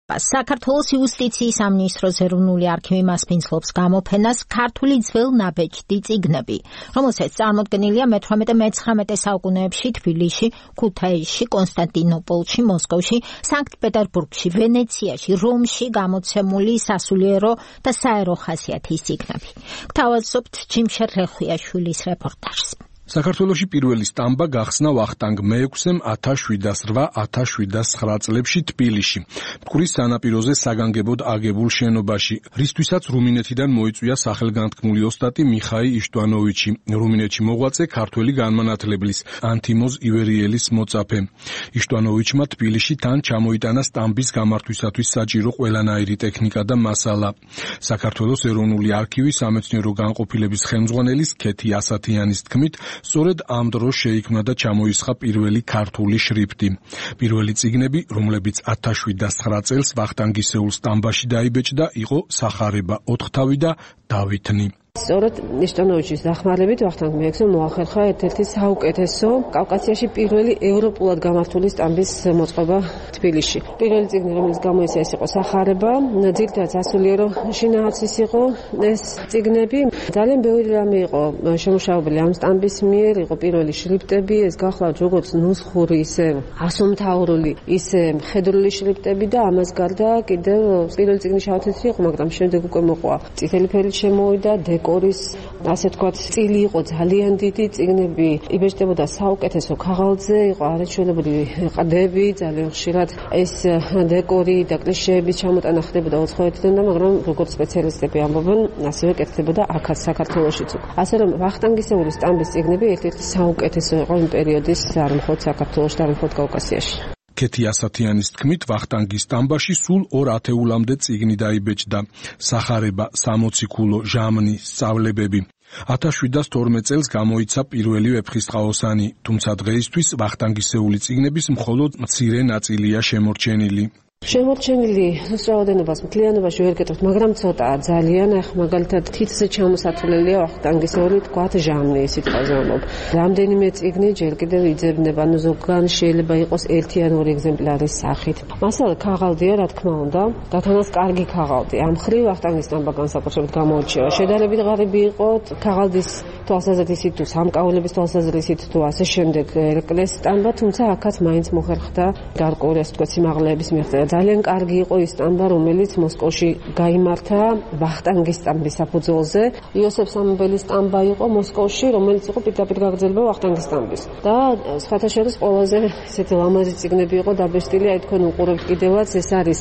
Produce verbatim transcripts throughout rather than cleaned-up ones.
საქართველოს იუსტიციის სამინისტროს ეროვნული არქივი მასპინძლობს გამოფენას ქართული ძველ ნაბეჭდი წიგნები, რომელსაც წარმოდგენილია მეთვრამეტე მეცხრამეტე საუკუნეებში თბილისში, ქუთაისში, კონსტანტინოპოლში, მოსკოვში, სანქტ-პეტერბურგში, ვენეციაში, რომში გამოცემული სასულიერო და საერო ხასიათის წიგნები. გთავაზობთ ჯიმშერ რეხვიაშვილის რეპორტაჟს. საქართველოში პირველი სტამბა გახსნა ვახტანგ მეექვსემ ათას შვიდას რვა ათას შვიდას ცხრა წლებში თბილისში, მტკვრის სანაპიროზე საგანგებოდ აგებულ შენობაში, რისთვისაც რუმინეთიდან მოიწვია სახელგანთქმული ოსტატი მიხაი იშტვანოვიჩი, რუმინეთში მოღვაწე ქართველი განმანათლებლის ანთიმოზ ივერიელის მოწაფე. იშტვანოვიჩმა თბილისში თან ჩამოიტანა სტამბის გამართვისათვის საჭირო ყველანაირი ტექნიკა და მასალა. საქართველოს ეროვნული არქივი სამეცნიერო განყოფილების ხელმძღვანელის ქეთი ასათიანის თქმით, სწორედ ამ დროს შეიქმნა და ჩამოისხა პირველი ქართული შრიფტი. პირველი წიგნები, რომლებიც ათას შვიდას ცხრა წელს ვახტანგისეულ სტამბაში დაიბეჭდა, იყო სახარება ოთხთავი და დავითნი. სწორედ იშტვანოვიჩის დახმარებით ვახტანგ მეექვსემ მოახერხა ერთ-ერთი საუკეთესო კავკასიაში პირველი ევროპულად გამართული სტამბის მოწყობა თბილისში. პირველი წიგნი, რომელიც გამოიცა, ეს იყო სახარება, ძირითადად სასულიერო შინაარსის იყო ეს წიგნები. ძალიან ბევრი რამე იყო შემუშავებული ამ სტამბის მიერ, იყო პირველი შრიფტები, ეს გახლავთ როგორც ნუსხური, ისე ასომთავრული, ისე მხედრული შრიფტები და ამას გარდა კიდევ პირველი წიგნი შავთეთრი იყო, მაგრამ შემდეგ უკვე მოყვა წითელი ფერით შემოვიდა, კორის, ასე ვთქვათ, წილი იყო ძალიან დიდი, წიგნები იბეჭდებოდა საუკეთესო ქაღალდზე, იყო არაჩვენებული ყდები, ძალიან ხშირად ეს დეკორი და კლიშეების ჩამოტანა ხდებოდა უცხოეთიდან და მაგრამ როგორც სპეციალისტები ამბობენ, ასევე კეთდებოდა აქაც საქართველოშიც. ასე რომ ვახტანგისეული სტამბის წიგნები ერთ-ერთი საუკეთესო იყო იმ პერიოდის არ მხოლოდ საქართველოში და არ მხოლოდ კავკასიაში. ქეთი ასათიანის თქმით, ვახტანგის სტამბაში სულ ორ ათეულამდე წიგნი დაიბეჭდა. სახარება, სამოციქულო, ჟამნი, სწავლებები. ათას შვიდას თორმეტ წელს გამოიცა პირველი ვეფხისტყაოსანი, თუმცა დღეისთვის ვახტანგისეული წიგნების მხოლოდ მცირე ნაწილია შემორჩენილი. შემორჩენილი რაოდენობას მთლიანობაში ვერ გეტყვით, მაგრამ ცოტაა ძალიან. ახ მაგალითად თითზე ჩამოსათვლელია ვახტანგისეული, თქვათ ჟამნი, სიტყვაზე ვამბობ. რამდენიმე წიგნი ჯერ კიდევ იძებნება, ანუ ზოგან შეიძლება იყოს ერთი ან ორი ეგზემპლარის სახით. მასალა ქაღალდია, რა თქმა უნდა, გათანას კარგი ქაღალდი. ამ მხრივ ვახტანგის სტამბა განსაკუთრებით გამოირჩევა. შედარებით ღარიბი იყო ქაღალდის თვალსაზრისით თუ სამკაულების თვალსაზრისით თუ ასე შემდეგ ერეკლეს სტამბა, თუმცა აქაც მაინც მოხერხდა გარკვეული, ასე ვთქვათ, სიმაღლეების მიაღწევა. ძალიან კარგი იყო ის სტამბა, რომელიც მოსკოვში გაიმართა ვახტანგის სტამბის საფუძველზე. იოსებ სამებელის სტამბა იყო მოსკოვში, რომელიც იყო პირდაპირ გაგრძელება ვახტანგის სტამბის. და სხვათა შორის ყველაზე ესეთი ლამაზი წიგნები იყო დაბეჭდილი, აი თქვენ უყურებთ კიდევაც, ეს არის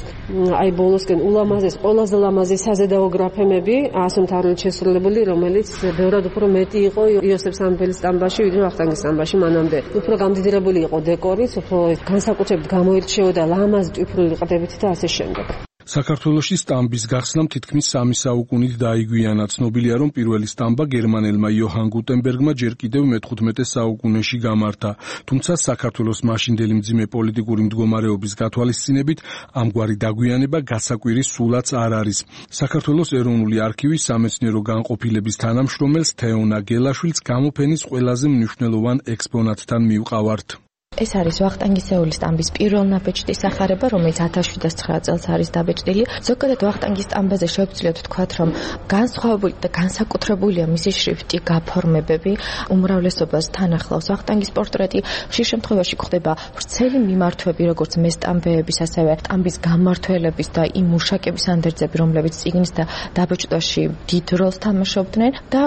აი ბოლოსკენ ულამაზეს, ყველაზე ლამაზი საზედაო გრაფემები, ასომთავრული შესრულებული, რომელიც ბევრად უფრო მეტი იყო იოსებ სამებელის სტამბაში, ვიდრე ვახტანგის სტამბაში მანამდე. უფრო გამდიდრებული იყო დეკორიც, უფრო განსაკუთრებით გამოირჩეოდა ლამაზ ტვიფრული ყდებით და ასე შემდეგ. საქართველოში სტამბის გახსნამ თითქმის სამი საუკუნით დაიგვიანა. ცნობილია, რომ პირველი სტამბა გერმანელმა იოჰან გუტენბერგმა ჯერ კიდევ მეთხუთმეტე საუკუნეში გამართა. თუმცა საქართველოს მაშინდელი მძიმე პოლიტიკური მდგომარეობის გათვალისწინებით ამგვარი დაგვიანება გასაკვირის სულაც არ არის. საქართველოს ეროვნული არქივის სამეცნიერო განყოფილების თანამშრომელს თეონა გელაშვილს გამოფენის ყველაზე მნიშვნელოვან ექსპონატთან მივყავართ. ეს არის ვახტანგისეული სტამბის პირველ ნაბეჭდის სახარება, რომელიც ათას შვიდას ცხრა წელს არის დაბეჭდილი. ზოგადად ვახტანგის სტამბაზე შევძლიათ ვთქვათ, რომ განსხვავებული და განსაკუთრებულია მისი შრიფტი, გაფორმებები, უმრავლესობას თან ახლავს ვახტანგის პორტრეტი. ხშირ შემთხვევაში გვხდება ვრცელი მიმართვები, როგორც მესტამბეების, ასევე სტამბის გამმართველების და იმ მუშაკების ანდერძები, რომლებიც წიგნის და დაბეჭდვაში დიდ როლს თამაშობდნენ და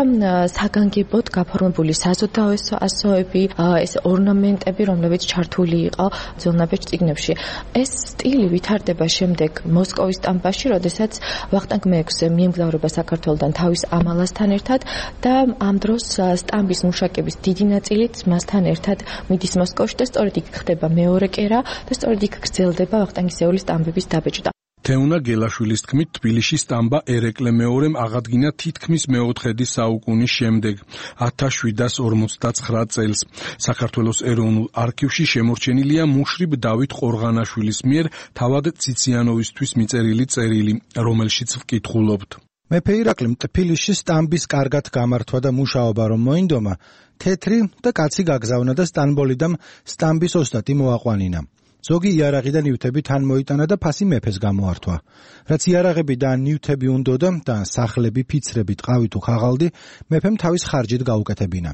საგანგებოდ გაფორმებული საზოდაო ასოები, ეს ორნამენტები, რომლებიც ჩართული იყო ძველნაბეჭ წიგნებში. ეს სტილი ვითარდება შემდეგ მოსკოვის სტამბაში, როდესაც ვახტანგ მეექვსე მიემგზავრება საქართველოდან თავის ამალასთან ერთად და ამ დროს სტამბის მუშაკების დიდი ნაწილიც მასთან ერთად მიდის მოსკოვში და სწორედ იქ ხდება მეორე კერა და სწორედ იქ გრძელდება ვახტანგისეული სტამბების დაბეჭდა. თეონა გელაშვილის თქმით, თბილისში სტამბა ერეკლე მეორემ აღადგინა თითქმის მეოთხედი საუკუნის შემდეგ, ათას შვიდას ორმოცდაცხრა წელს. საქართველოს ეროვნულ არქივში შემორჩენილია მუშრიბ დავით ყორღანაშვილის მიერ თავად ციციანოვისთვის მიწერილი წერილი, რომელშიც ვკითხულობთ. მეფე ირაკლიმ თბილისში სტამბის კარგად გამართვა და მუშაობა რომ მოინდომა, თეთრი და კაცი გაგზავნა და სტამბოლიდამ სტამბის ოსტატი მოაყვანინა. ზოგი იარაღი და ნივთები თან მოიტანა და ფასი მეფეს გამოართვა. რაც იარაღები და ნივთები უნდოდა და სახლები, ფიცრები, ტყავი თუ ხაღალდი მეფემ თავის ხარჯით გაუკეთებინა.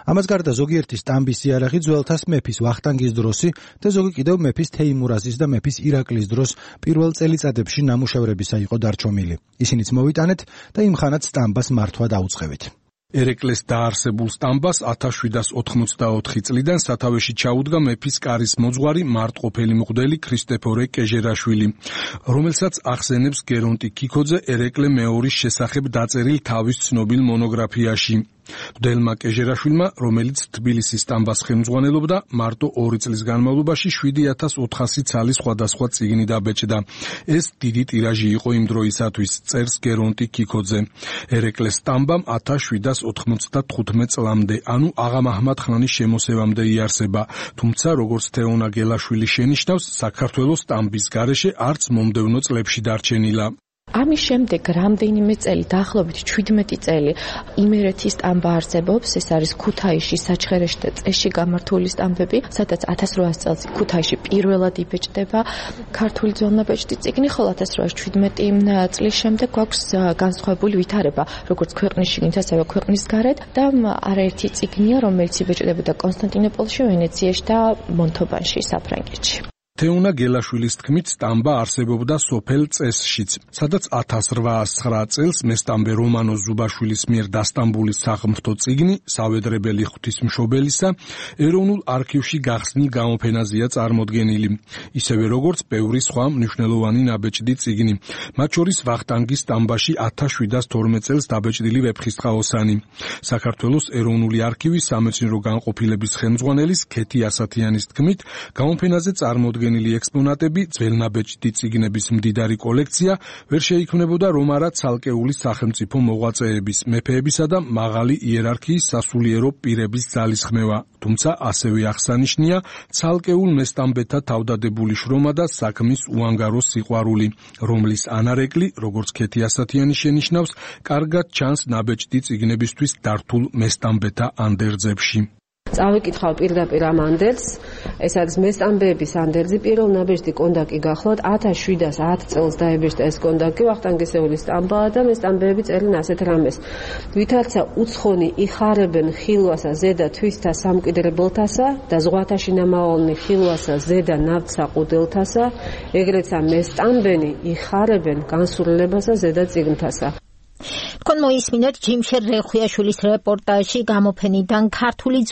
ამას გარდა ზოგიერთი სტამბის იარაღი ძველთას მეფის ვახტანგის დროსი და ზოგი კიდევ მეფის თეიმურაზის და მეფის ირაკლის დროს პირველ წელიწადებში ნამუშევრებისა იყო დარჩომილი. ისინიც მოვიტანეთ და იმხანად სტამბას მართვა დაუწყევით. ერეკლეს დაარსებულ სტამბას ათას შვიდას ოთხმოცდაოთხი წლიდან სათავეში ჩაუდგა მეფის კარის მოძღვარი მარტყოფელი მღვდელი ქრისტეფორე კეჟერაშვილი, რომელსაც ახსენებს გერონტი ქიქოძე ერეკლე მეორის შესახებ დაწერილ თავის ცნობილ მონოგრაფიაში. მღვდელმა კეჟერაშვილმა, რომელიც თბილისის სტამბას ხელმძღვანელობდა, მარტო ორი წლის განმავლობაში შვიდი ათას ოთხასი ცალი სხვადასხვა წიგნი დაბეჭდა. ეს დიდი ტირაჟი იყო იმ დროისათვის, წერს გერონტი ქიქოძე. ერეკლეს სტამბამ ათას შვიდას ოთხმოცდათხუთმეტ წლამდე, ანუ აღა-მაჰმად ხანის შემოსევამდე იარსება, თუმცა როგორც თეონა გელაშვილი შენიშნავს, საქართველოს სტამბის გარეშე არც მომდევნო წლებში დარჩენილა. ამის შემდეგ რამდენიმე წელი, დაახლოებით ჩვიდმეტი წელი, იმერეთის სტამბა არსებობს. ეს არის ქუთაისში, საჩხერეში და წესში გამართული სტამბები, სადაც ათას რვაას წელს ქუთაისში პირველად იბეჭდება ქართული ძველნაბეჭდი წიგნი, ხოლო ათას რვაას შვიდმეტი წლის შემდეგ გვაქვს განსხვავებული ვითარება, როგორც ქვეყნის შიგნით, ასევე ქვეყნის გარეთ და არაერთი წიგნია, რომელიც იბეჭდებოდა კონსტანტინოპოლში, ვენეციაში და მონთობანში, საფრანგეთში. თეონა გელაშვილის თქმით, სტამბა არსებობდა სოფელ წესშიც, სადაც ათას რვაას ცხრა წელს მესტამბე რომანო ზუბაშვილის მიერ დასტამბული სახმრთო წიგნი, სავედრებელი ღვთისმშობელისა, ეროვნულ არქივში გახსნილ გამოფენაზეა წარმოდგენილი, ისევე როგორც ბევრი სხვა მნიშვნელოვანი ნაბეჭდი წიგნი, მათ შორის ვახტანგის სტამბაში ათას შვიდას თორმეტ წელს დაბეჭდილი ვეფხისტყაოსანი. საქართველოს ეროვნული არქივის სამეცნიერო განყოფილების ხელმძღვანელის ქეთი ასათიანის თქმით, გამოფენაზე წარმოდგენილი ექსპონატები, ძველნაბეჭდი წიგნების მდიდარი კოლექცია ვერ შეიქმნებოდა რომ არა ცალკეული სახელმწიფო მოღვაწეების, მეფეებისა და მაღალი იერარქიის სასულიერო პირების ძალისხმევა, თუმცა ასევე აღსანიშნია ცალკეულ მესტამბეთა თავდადებული შრომა და საქმის უანგარო სიყვარული, რომლის ანარეკლი, როგორც ქეთი ასათიანი შენიშნავს, კარგად ჩანს ნაბეჭდი წიგნებისთვის დართულ მესტამბეთა ანდერძებში. წავიკითხავ პირდაპირ ამ ანდერძს, ეს არის მესტამბეების ანდერძი, პირველ ნაბეჭდი კონდაკი გახლავთ, ათას შვიდას ათ წელს დაიბეჭდა ეს კონდაკი, ვახტანგისეულის სტამბაა და მესტამბეები წერენ ასეთ რამეს. ვითარცა უცხონი იხარებენ ხილვასა ზედა თვისთა სამკვიდრებელთასა და ზღვათაში ნამავალნი ხილვასა ზედა ნავთსა ყუდილთასა, ეგრეცა მესტამბენი იხარებენ განსურლებასა ზედა წიგნთასა. თქვენ მოისმინეთ ჯიმშერ რეხვიაშვილის რეპორტაჟი გამოფენიდან ქართული